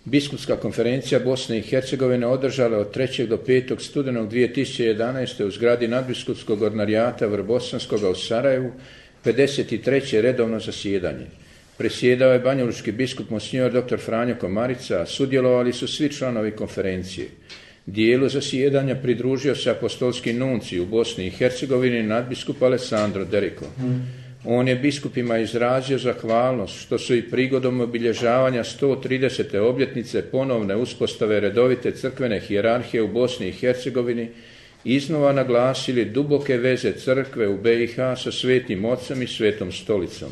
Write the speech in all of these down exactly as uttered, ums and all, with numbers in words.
Biskupska konferencija Bosne i Hercegovine održala od trećeg do petog studenog dvije tisuće jedanaeste. u zgradi nadbiskupskog ordinarijata Vrbosanskoga u Sarajevu pedeset treće redovno zasjedanje. Presjedao je banjalučki biskup monsignor dr. Franjo Komarica, a sudjelovali su svi članovi konferencije. Dijelu zasjedanja pridružio se apostolski nuncij u Bosni i Hercegovini nadbiskup Alessandro Deriko. On je biskupima izrazio zahvalnost što su i prigodom obilježavanja sto tridesete obljetnice ponovne uspostave redovite crkvene hijerarhije u Bosni i Hercegovini iznova naglasili duboke veze crkve u B i H sa Svetim Ocem i Svetom Stolicom.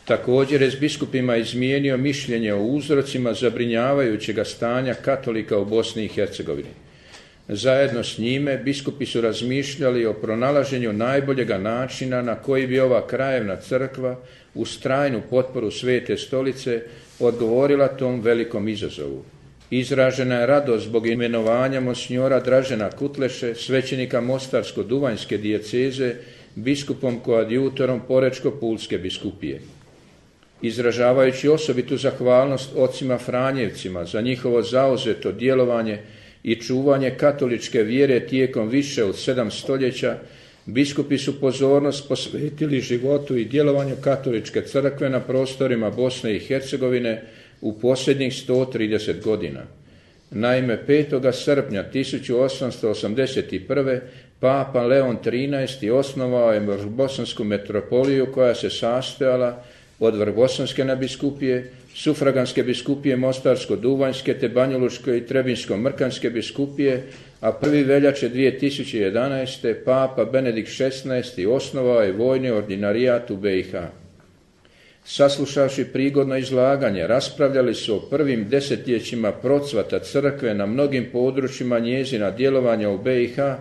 Također je s biskupima izmijenio mišljenje o uzrocima zabrinjavajućega stanja katolika u Bosni i Hercegovini. Zajedno s njime biskupi su razmišljali o pronalaženju najboljega načina na koji bi ova krajevna crkva uz trajnu potporu Svete Stolice odgovorila tom velikom izazovu. Izražena je radost zbog imenovanja monsignora Dražena Kutleše, svećenika Mostarsko-Duvanjske dijeceze, biskupom koadjutorom Porečko-Pulske biskupije. Izražavajući osobitu zahvalnost ocima Franjevcima za njihovo zauzeto djelovanje i čuvanje katoličke vjere tijekom više od sedam stoljeća, biskupi su pozornost posvetili životu i djelovanju katoličke crkve na prostorima Bosne i Hercegovine u posljednjih sto trideset godina. Naime, petog srpnja tisuću osamsto osamdeset prve. Papa Leon trinaesti. osnovao je Vrbosansku metropoliju koja se sastojala od Vrbosanske nadbiskupije, sufraganske biskupije Mostarsko-Duvanjske te Banjalučke i Trebinjsko-Mrkanske biskupije, a prvi veljače dvije tisuće jedanaeste. Papa Benedikt šesnaesti. osnovao je vojni ordinarijat u B i H. Saslušavši prigodno izlaganje, raspravljali su o prvim desetljećima procvata crkve na mnogim područjima njezina djelovanja u B i H,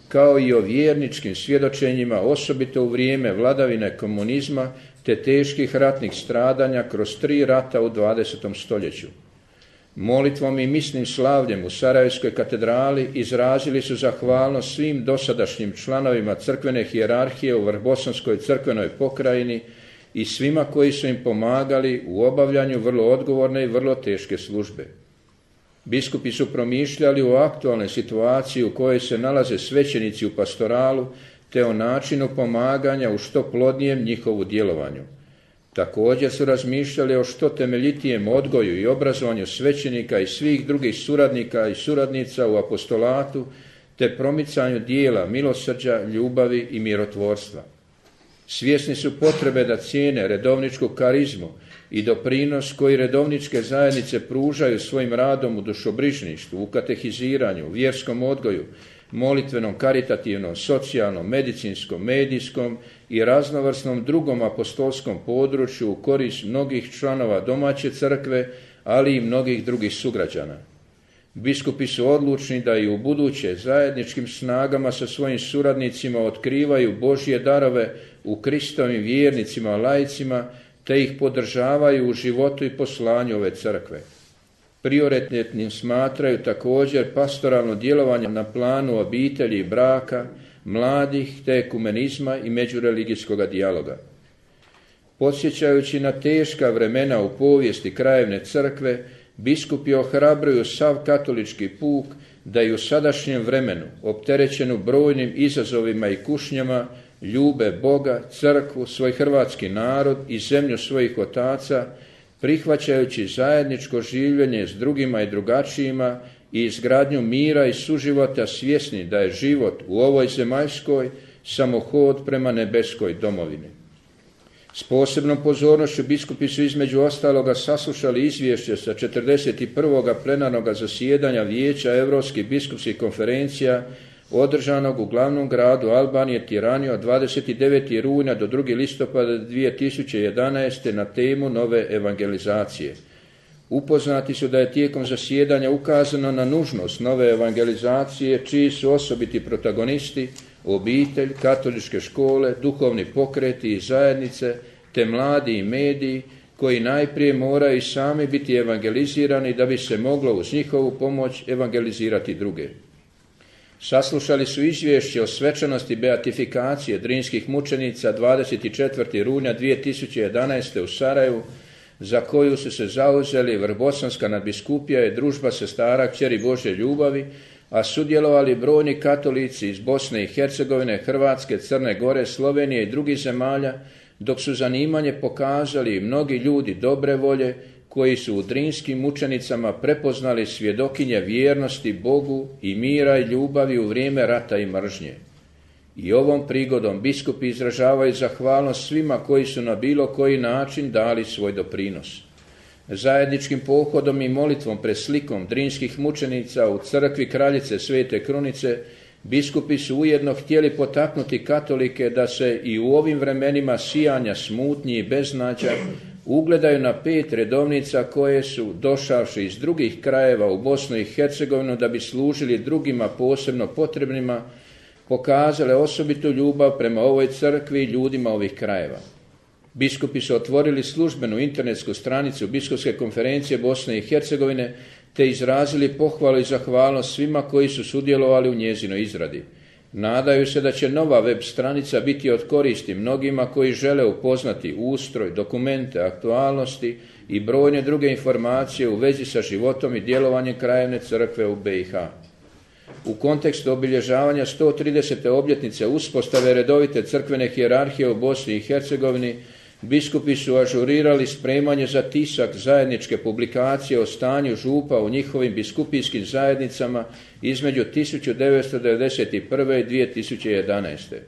kao i o vjerničkim svjedočenjima, osobito u vrijeme vladavine komunizma te teških ratnih stradanja kroz tri rata u dvadesetom stoljeću. Molitvom i misnim slavljem u Sarajevskoj katedrali izrazili su zahvalnost svim dosadašnjim članovima crkvene hijerarhije u Vrbosanskoj crkvenoj pokrajini i svima koji su im pomagali u obavljanju vrlo odgovorne i vrlo teške službe. Biskupi su promišljali o aktualnoj situaciji u kojoj se nalaze svećenici u pastoralu, te o načinu pomaganja u što plodnijem njihovu djelovanju. Također su razmišljali o što temeljitijem odgoju i obrazovanju svećenika i svih drugih suradnika i suradnica u apostolatu, te promicanju dijela milosrđa, ljubavi i mirotvorstva. Svjesni su potrebe da cijene redovničku karizmu i doprinos koji redovničke zajednice pružaju svojim radom u dušobrižništvu, u katehiziranju, vjerskom odgoju, molitvenom, karitativnom, socijalnom, medicinskom, medijskom i raznovrsnom drugom apostolskom području u korist mnogih članova domaće crkve, ali i mnogih drugih sugrađana. Biskupi su odlučni da i u buduće zajedničkim snagama sa svojim suradnicima otkrivaju Božje darove u Kristovim vjernicima, laicima, te ih podržavaju u životu i poslanju ove crkve. Prioritetnim smatraju također pastoralno djelovanje na planu obitelji i braka, mladih te ekumenizma i međureligijskog dijaloga. Podsjećajući na teška vremena u povijesti krajevne crkve, biskupi ohrabruju sav katolički puk da i u sadašnjem vremenu, opterećenu brojnim izazovima i kušnjama, ljube Boga, crkvu, svoj hrvatski narod i zemlju svojih otaca, prihvaćajući zajedničko življenje s drugima i drugačijima i izgradnju mira i suživota, svjesni da je život u ovoj zemaljskoj samo hod prema nebeskoj domovini. S posebnom pozornošću biskupi su između ostaloga saslušali izvješće sa četrdeset prvog plenarnog zasjedanja Vijeća Europskih biskupskih konferencija održanog u glavnom gradu Albanije Tirani od dvadeset devetog rujna do drugog listopada dvije tisuće jedanaeste. na temu nove evangelizacije. Upoznati su da je tijekom zasjedanja ukazano na nužnost nove evangelizacije, čiji su osobiti protagonisti obitelj, katoličke škole, duhovni pokreti i zajednice, te mladi i mediji, koji najprije moraju sami biti evangelizirani da bi se moglo uz njihovu pomoć evangelizirati druge. Saslušali su izvješće o svečanosti beatifikacije drinskih mučenica dvadeset četvrtog rujna dvije tisuće jedanaeste. u Sarajevu, za koju su se zauzeli Vrbosanska nadbiskupija i družba sestara kćeri Božje ljubavi, a sudjelovali brojni katolici iz Bosne i Hercegovine, Hrvatske, Crne Gore, Slovenije i drugih zemalja, dok su zanimanje pokazali i mnogi ljudi dobre volje koji su u Drinskim mučenicama prepoznali svjedokinje vjernosti Bogu i mira i ljubavi u vrijeme rata i mržnje. I ovom prigodom biskupi izražavaju zahvalnost svima koji su na bilo koji način dali svoj doprinos. Zajedničkim pohodom i molitvom pred slikom Drinskih mučenica u crkvi Kraljice Svete Krunice, biskupi su ujedno htjeli potaknuti katolike da se i u ovim vremenima sijanja, smutnji i beznađa ugledaju na pet redovnica koje su, došavši iz drugih krajeva u Bosnu i Hercegovinu da bi služili drugima posebno potrebnima, pokazale osobitu ljubav prema ovoj crkvi i ljudima ovih krajeva. Biskupi su otvorili službenu internetsku stranicu Biskupske konferencije Bosne i Hercegovine te izrazili pohvalu i zahvalnost svima koji su sudjelovali u njezinoj izradi. Nadaju se da će nova web stranica biti od koristi mnogima koji žele upoznati ustroj, dokumente, aktualnosti i brojne druge informacije u vezi sa životom i djelovanjem Krajevne crkve u be i ha. U kontekstu obilježavanja sto tridesete obljetnice uspostave redovite crkvene hijerarhije u Bosni i Hercegovini, biskupi su ažurirali spremanje za tisak zajedničke publikacije o stanju župa u njihovim biskupijskim zajednicama između tisuću devetsto devedeset prve i dvije tisuće jedanaeste.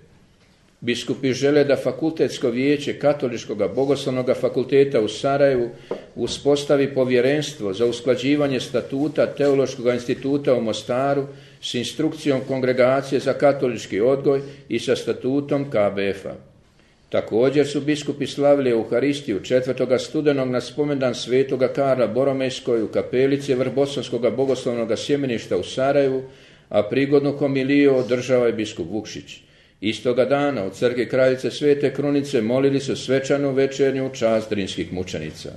Biskupi žele da Fakultetsko vijeće Katoličkog bogoslovnog fakulteta u Sarajevu uspostavi povjerenstvo za usklađivanje statuta Teološkog instituta u Mostaru s instrukcijom Kongregacije za katolički odgoj i sa statutom ka be ef a. Također su biskupi slavili Euharistiju četvrtog studenog na spomendan svetoga Karla Boromejskoj u kapelici Vrbosanskog bogoslovnog sjemeništa u Sarajevu, a prigodnu homiliju održao je biskup Vukšić. Istoga dana u crkvi Kraljice Svete Krunice molili su svečanu večernju u čast Drinskih mučenica.